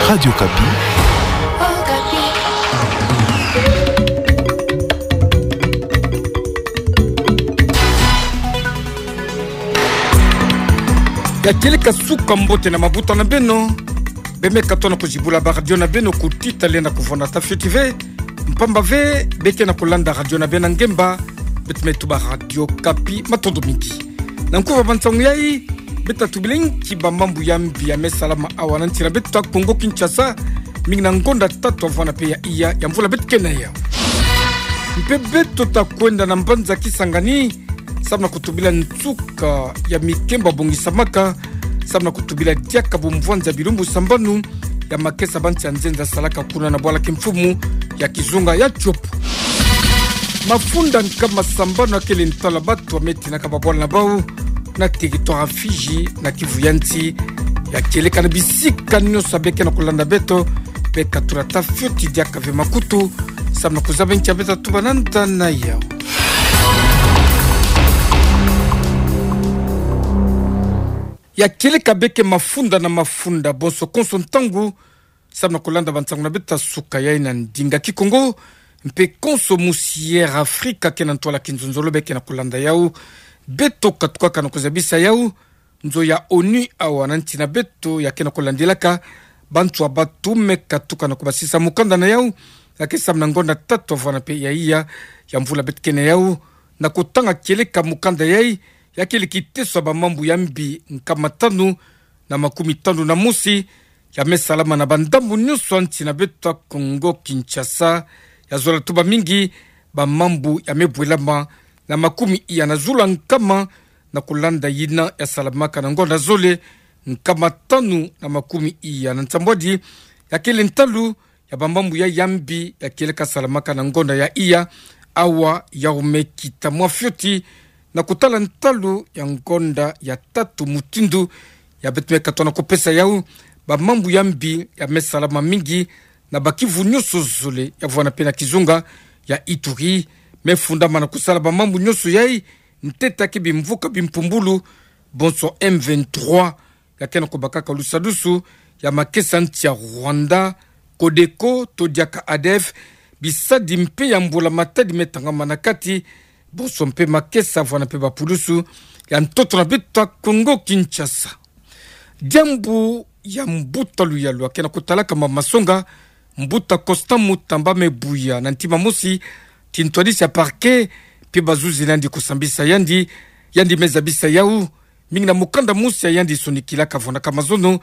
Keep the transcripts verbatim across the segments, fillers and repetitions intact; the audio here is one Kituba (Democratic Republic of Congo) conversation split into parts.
Radio Okapi. Ya kieleka suka mbote na mabuta na beno. Bemeka tona kuzibula baradio na beno, kutita lenda kuvwanda ta fioti ve. Mpamba ve, beke na kulanda radio na beno na ngemba, beto me tuba Radio Okapi, matondo mingi. Na nkufi ya bansangu yai, beta tubila nki bamambu ya mbi ya me salama awa na nsi na beto ta Kongo Kinshasa, mingi na ngonda tatu avwanda pe ya iya ya mvula beto ke na yau. Mpe beto ta kwenda na mbanza Kisangani, samu na kutubila nsuka ya mikemba bongisamaka, samu na kutubila diaka bumvwanza bilumbu sambanu ya makesa ba nsi ya nzenza salaka kuna na bwala kimfumu ya kizunga ya Tshopo. Mafunda nkama sambanu akele ntalu ya bato ya me tinaka babwala na bau na territoire ya Fidji na Kivu ya nsi. Ya kieleka na bisika nyonso ya beke na kulanda beto, beta tula ta fioti diaka ve makutu, samu na kuzaba nki ya beta tuba na nda na yau. Ya kieleka beke mafunda na mafunda, bonso konso ntangu, samu na kulanda bansangu na beto ta suka yai na ndinga Kikongo, mpe konso musi Air Africa ke na ntwala kinzonzolo beke na kulanda yau. Beto katukaka na kuzabisa yau, nzo ya ONU awa na nsi na beto ya ke na kulandilaka bantu ya batumeka tuka na kubasisa mukanda na yau, ya ke samu na ngonda tatu avwanda pe ya iya ya mvula beto ke na yau, na kutanga kieleka mukanda yai, ya kieleka kiteso ya bamambu ya mbi nkama tanu na makumi tanu na mosi, ya me salama na bandambu nyonso ya nsi na beto ta Kongo Kinshasa, ya zola tuba mingi bamambu ya me bwelama na makumi iya na zulu ya nkama, na kulanda yina ya salamaka na ngonda zole nkama tanu na makumi iya na nsambwadi, ya kele ntalu ya bamambu ya ya mbi ya kieleka salamaka na ngonda ya iya, awa ya ome kita mwa fioti, na kutala ntalu ya ngonda ya tatu mutindu ya beto me katono kupesa yau, bamambu ya mbi ya me salama mingi na ba Kivu nyonso zole ya vwanda pe na kizunga ya Ituri, me fundama na kusala bamambu nyonso yai, ntete ya ke bimvuka bimpumbulu, bonso M vingt-trois, ya ke na kubakaka lusadusu ya makesa nsi ya Rwanda, Codeco, to diaka ADF, bisadi mpe ya mbula matadi me tangama na kati, bonso mpe makesa vwanda mpe bapulusu ya ntoto na beto ta Kongo Kinshasa. Diambu ya mbuta luyalu ya ke na kutalaka ma masonga, mbuta Constant Mutamba me buya na ntima mosi, ti ntwadisi ya parquet mpe bazuzi na yandi kusambisa yandi, yandi me zabisa yau, mingi na mukanda mosi ya yandi sonikilaka vwandaka mazono,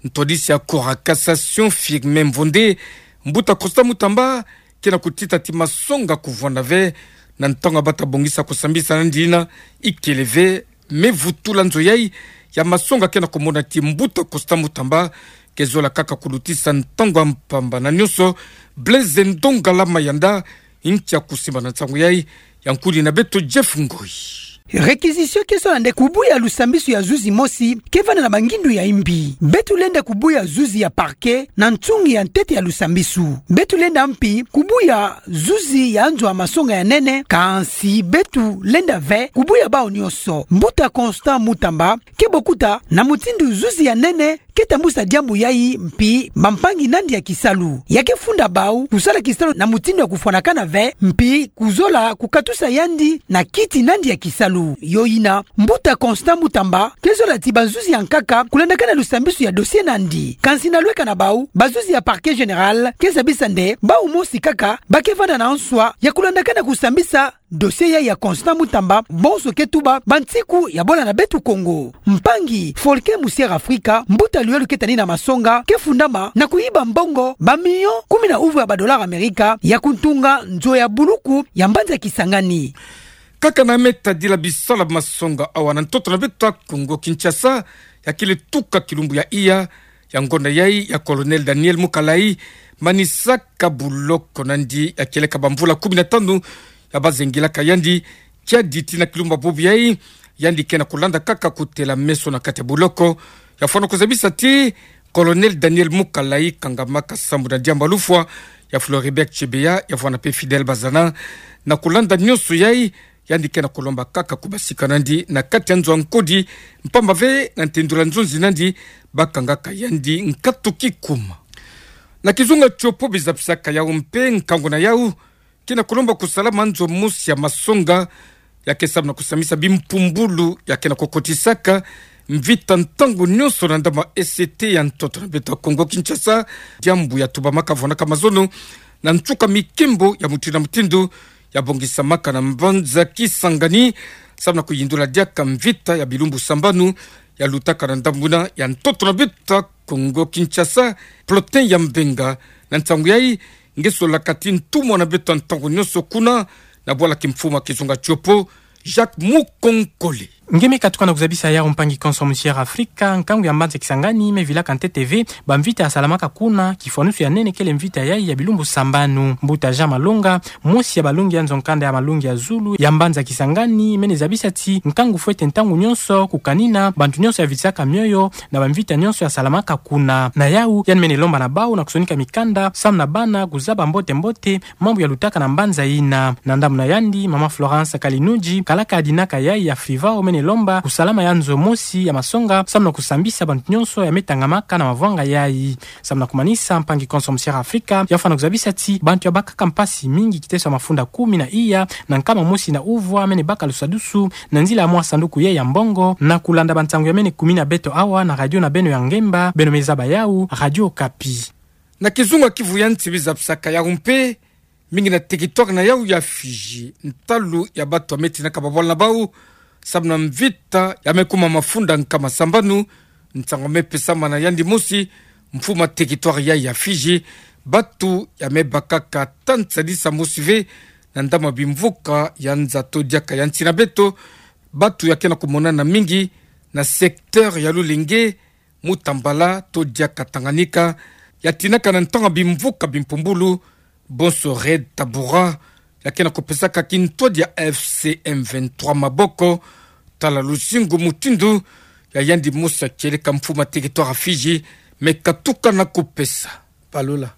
ntwadisi ya Cour ya cassation Firmin Mvonde, mbuta Constant Mutamba ke na kutita ti masonga kuvwanda ve, na ntangu bata bongisa kusambisa na yandi yina ikele ve, me vutula nzo yai ya masonga ke na kumona ti mbuta Constant Mutamba ke zola kaka kulutisa ntangu ya mpamba na nyonso. Blaise Ndongala Mayanda, nki ya kusimba na nsangu yai, ya nkudi na beto Jeff Ngoi. Réquisition ke zola nde kubuya lusambisu ya zuzi mosi ke vanda na bangindu ya imbi. Beto lenda kubuya zuzi ya parquet na nsungi ya ntete ya lusambisu. Beto lenda mpi kubuya zuzi ya nzo ya masonga ya nene, kansi beto lenda ve kubuya bau nyonso. Mbuta Constant Mutamba ke bokuta na mutindu zuzi ya nene ke tambusa diambu yai mpi bampangi na yandi ya kisalu. Ya ke funda bau kusala kisalu na mutindu ya kufwanakana ve, mpi kuzola kukatusa yandi na kiti na yandi ya kisalu. Yo yina, mbuta Constant Mutamba ke zola ti bazuzi ya nkaka kulandakana lusambisu ya dossier na yandi. Kansi na lweka na bau, bazuzi ya Parquet Général ke zabisa nde bau mosi kaka ba ke vanda na nswa ya kulandakana kusambisa dossier yai ya Constant Mutamba, bonso ke tuba bansiku ya bola na beto Kongo. Mpangi Folke Musier Afrika, mbuta luyalu ke tani na masonga, ke fundama na kuyiba mbongo ba million kumi na uvwe ya ba dollars Amerika ya kuntunga nzo ya buluku ya mbanza Kisangani. Kaka na me tadila bisalu ya masonga awa na ntoto na beto ta Kongo Kinshasa, ya kele tuka kilumbu ya iya ya ngonda yai ya Colonel Daniel Mukalayi manisaka buloko na yandi ya kieleka bamvula kumi na tanu ya bazengilaka yandi. Kiadi tii na kilumbu ya bobo yai, yandi ke na kulanda kaka kutela meso na kati ya buloko. Ya fwana kuzabisa ti Colonel Daniel Mukalayi kangamaka sambu na diambu ya lufwa ya Floribert Chebeya, ya vwanda mpe Fidèle Bazana. Na kulanda nyonso yai, yandi ke na kulomba kaka kubasika na yandi na kati ya nzo ya nkodi, mpamba ve na ntendula nzonzi na yandi, bakangaka yandi nkatu kikuma. Na kizunga tiopo bizapisaka yau mpe nkangu na yau, ke na kulomba kusalama nzo mosi ya masonga, ya ke samu na kusamisa bimpumbulu, ya ke na kukotisaka mvita ntangu nionso na ndambu ya E C T ya ntoto na beto ya Kongo Kinshasa, diambu ya tubamaka vwanaka mazono, na nsuka mikembo ya mutindu na mutindu, ya bongisamaka na mbanza Kisangani, samu na kuyindula diaka mvita ya bilumbu sambanu, ya lutaka na ndambu na ya ntoto na beto ya Kongo Kinshasa, Plotin ya Mbenga, na nsangu yai, nge solaka ti ntumwa na beto ya ntangu nionso kuna, na bwala kimfumu ya kizunga tiopo, Jacques Mukonkole. Nge me katuka na kuzabisa yau mpangi konso Musière Afrika, nkangu ya mbanza Kisangani, me vilaka ntete ve, bamvita ya salamaka kuna, kifwanusu ya nene kele mvita yai ya bilumbu sambanu. Mbuta Jean Malonga, mosi ya balongi ya nzo nkanda ya malongi ya zulu, ya mbanza Kisangani, mene zabisa ti, nkangu fwete ntangu nionso, kukanina, bantu nionso ya vitisaka mioyo, na bamvita nionso ya salamaka kuna. Na yau, yandi mene lomba na bau na kusonika mikanda, samu na bana, kuzaba mbote mbote, mambu ya lutaka na mbanza yina. Na ndambu na yandi, mama Florence Kalinuji, kalaka ya dinaka yai ya Frivao mene lomba, kusalama ya nzo mosi, ya masonga, samu na kusambisa bantu nionso ya me tangamaka na mavwanga yai. Samu na kumanisa mpangi konso Musière Afrika, ya fwana kuzabisa ti, bantu ya bakaka mpasi mingi kiteso ya mafunda kumi na iya, na nkama mosi na uvwa, mene baka lusadusu, na nzila ya mwa sanduku yai ya mbongo, na kulanda bansangu ya mene kumina beto awa, na radio na beno ya ngemba, beno me zaba yau, Radio Okapi. Na kizunga Kivu ya nsi bizapisaka yau mpe, mingi na territoire na yau ya Fidji, ntalu ya bantu ya me tinaka babwala na bau, samu na mvita ya me kuma mafunda nkama sambanu, nsangu me pesama na yandi mosi, mfumu ya territoire yai ya Fidji, bantu ya me bakaka ta nsadisa mosi ve, na ndambu ya bimvuka ya nza to diaka ya nsi na beto, bantu ya ke na kumonana mingi, na secteur ya Lulenge, Mutambala to diaka Tanganyika, ya tinaka na ntangu ya bimvuka bimpumbulu, bonso Red Tabora, ya ke na kupesaka kintwadi ya F C M vingt-trois maboko, tala luzingu mutindu, ya yandi mosi ya kieleka mfumu ya territoire ya Fidji, me katuka na kupesa. Balola.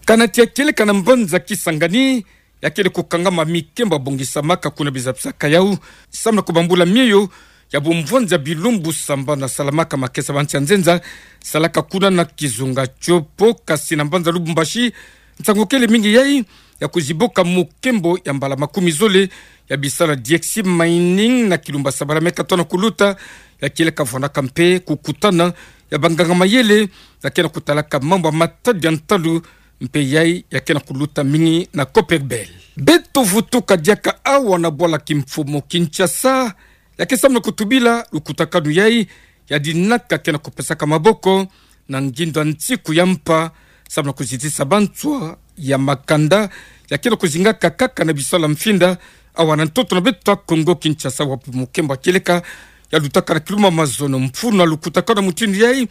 Kana ti ya kieleka na mbanza Kisangani, ya kele kukangama mikembo ya bongisamaka kuna bizapisaka yau, samu na kubambula mioyo, ya bumvwanza bilumbu sambanu ya salamaka makesa ba nsi ya nzenza, salaka kuna na kizunga tiopo, kasi na mbanza Lubumbashi, nsangu kele mingi yai, ya kuziboka mukembo ya mbala makumi zole, ya bisalu ya Diexi Mining na Kilumba Sabala me katoa na kuluta, ya kieleka vwanaka mpe kukutana, ya banganga mayele, ya ke na kutalaka mambu ya matadi ya ntalu, mpe yai ya ke na kuluta mingi na Copperbelt. Beto vutuka diaka awa na bwala kimfumu Kinshasa, ya ke samu na kutubila lukutakanu yai, ya dinaka ke na kupesaka maboko, na ngindo ya nsiku ya mpa, samu na kuzitisa banswa ya makanda, ya ke na kuzingaka kaka na bisalu ya mfinda, awa na ntoto na beto ya Kongo Kinshasa wapi mukembo ya kieleka, ya lutaka na kiluma mazono mfunu ya lukutakanu mutindu yai,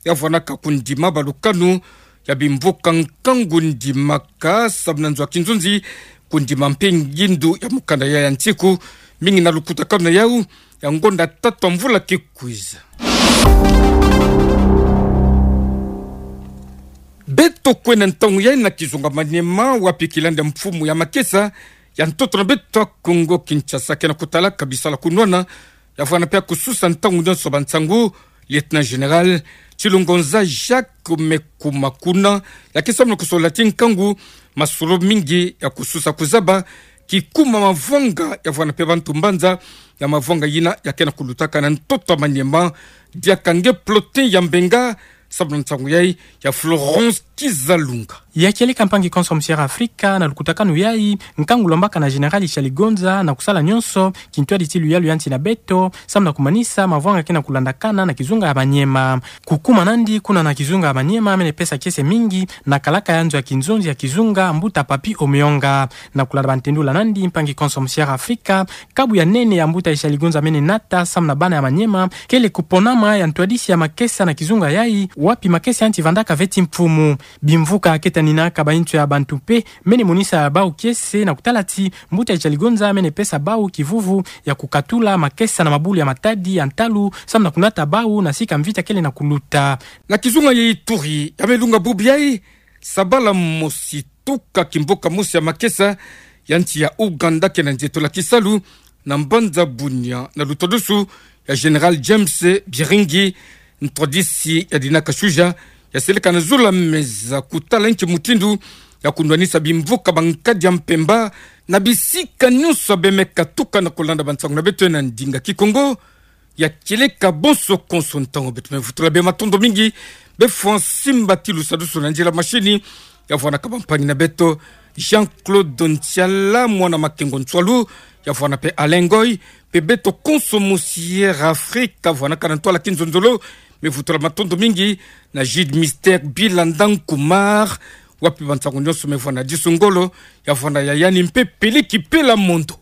ya vwanaka kundima balukanu, ya bimvuka nkangu ndimaka, samu na nzo ya kinzonzi, kundima mpe ngindo ya mukanda ya ya nsiku, mingi na lukutakanu na yau, ya ngonda tatu ya mvula ke kwiza. Beto kwenda ntangu yai na kizunga Maniema, wapi kilandi ya mfumu ya makesa, ya ntoto na beto ya Kongo Kinshasa ke na kutalaka bisalu ya kunwana, ya vwanda mpe ya kususa ntangu nionso bansangu, Lieutenant Général Tshilongonza Jacques me kuma kuna, ya ke samu na kusola ti nkangu, masolo mingi ya kususa kuzaba, kikuma mavwanga ya vwanda mpe bantu mbanza, ya mavwanga yina ya ke na kulutaka na ntoto ya Maniema, diaka nge Plotin ya Mbenga, samu na nsangu yai, ya Florence Kizalunga. Ya kieleka mpangi konso Musière Afrika, na lukutakanu yai, nkangu lombaka na Général Tshilongonza, na kusala nionso, kintwadi ti luyalu ya nsi na beto, samu na kumanisa, mavwanga ke na kulandakana, na kizunga ya Maniema. Kukuma nandi, kuna na kizunga ya Maniema, mene pesa kiese mingi, na kalaka ya nzo ya kinzonzi ya kizunga, mbuta Papy Omeonga. Na kulanda bantendula nandi, mpangi konso Musière Afrika, kabu ya nene ya mbuta Tshilongonza mene nata, samu na bana ya Maniema, kele kuponama ya ntwadisi ya makesa na kizunga yai, wapi makesa ya nsi vandaka veti mfumu. Bimvuka ke taninaka bainzo ya bantu mpe, mene monisa bau kiese na kutala ti, mbuta Tshilongonza mene pesa bau kivuvu ya kukatula makesa na mabulu ya matadi ya ntalu, samu na kunata bau na sika mvita kele na kuluta. Na kizunga ya Ituri, ya me lunga bubu yai, Sabala mosi tuka kimboka mosi ya makesa, ya nsi ya Ouganda ke na nzetola kisalu, na mbanza Bunia, na lutodusu, ya Général James Byiringi, Ntwadisi ya dinaka suja ya seleka na zula meza kutala nchi mutindu ya kundwanisa bimvuka ba nkadi ya mpemba na bisika nyonso ya bembe katuka na kolanda bansangu na beto na ndinga Kikongo. Ya kieleka bonso konso ntangu beto me vutula bê matondo mingi, bê Francine Batilu sadusu na nzila mashini, ya vwandaka bampangi na beto Jean-Claude Ntiala, mwana Makengo Ntsualu, ya vwanda pe Alain Ngoy, pe beto konso mosi Air Afrique, ya vwandaka na ntwala kinzonzolo, me vutula matondo mingi na Jude Mister Bilanda Nkumar, wapi bansangu nyonso me vwanda disu ngolo, ya vwanda ya yandi mpe peleki pela mondo.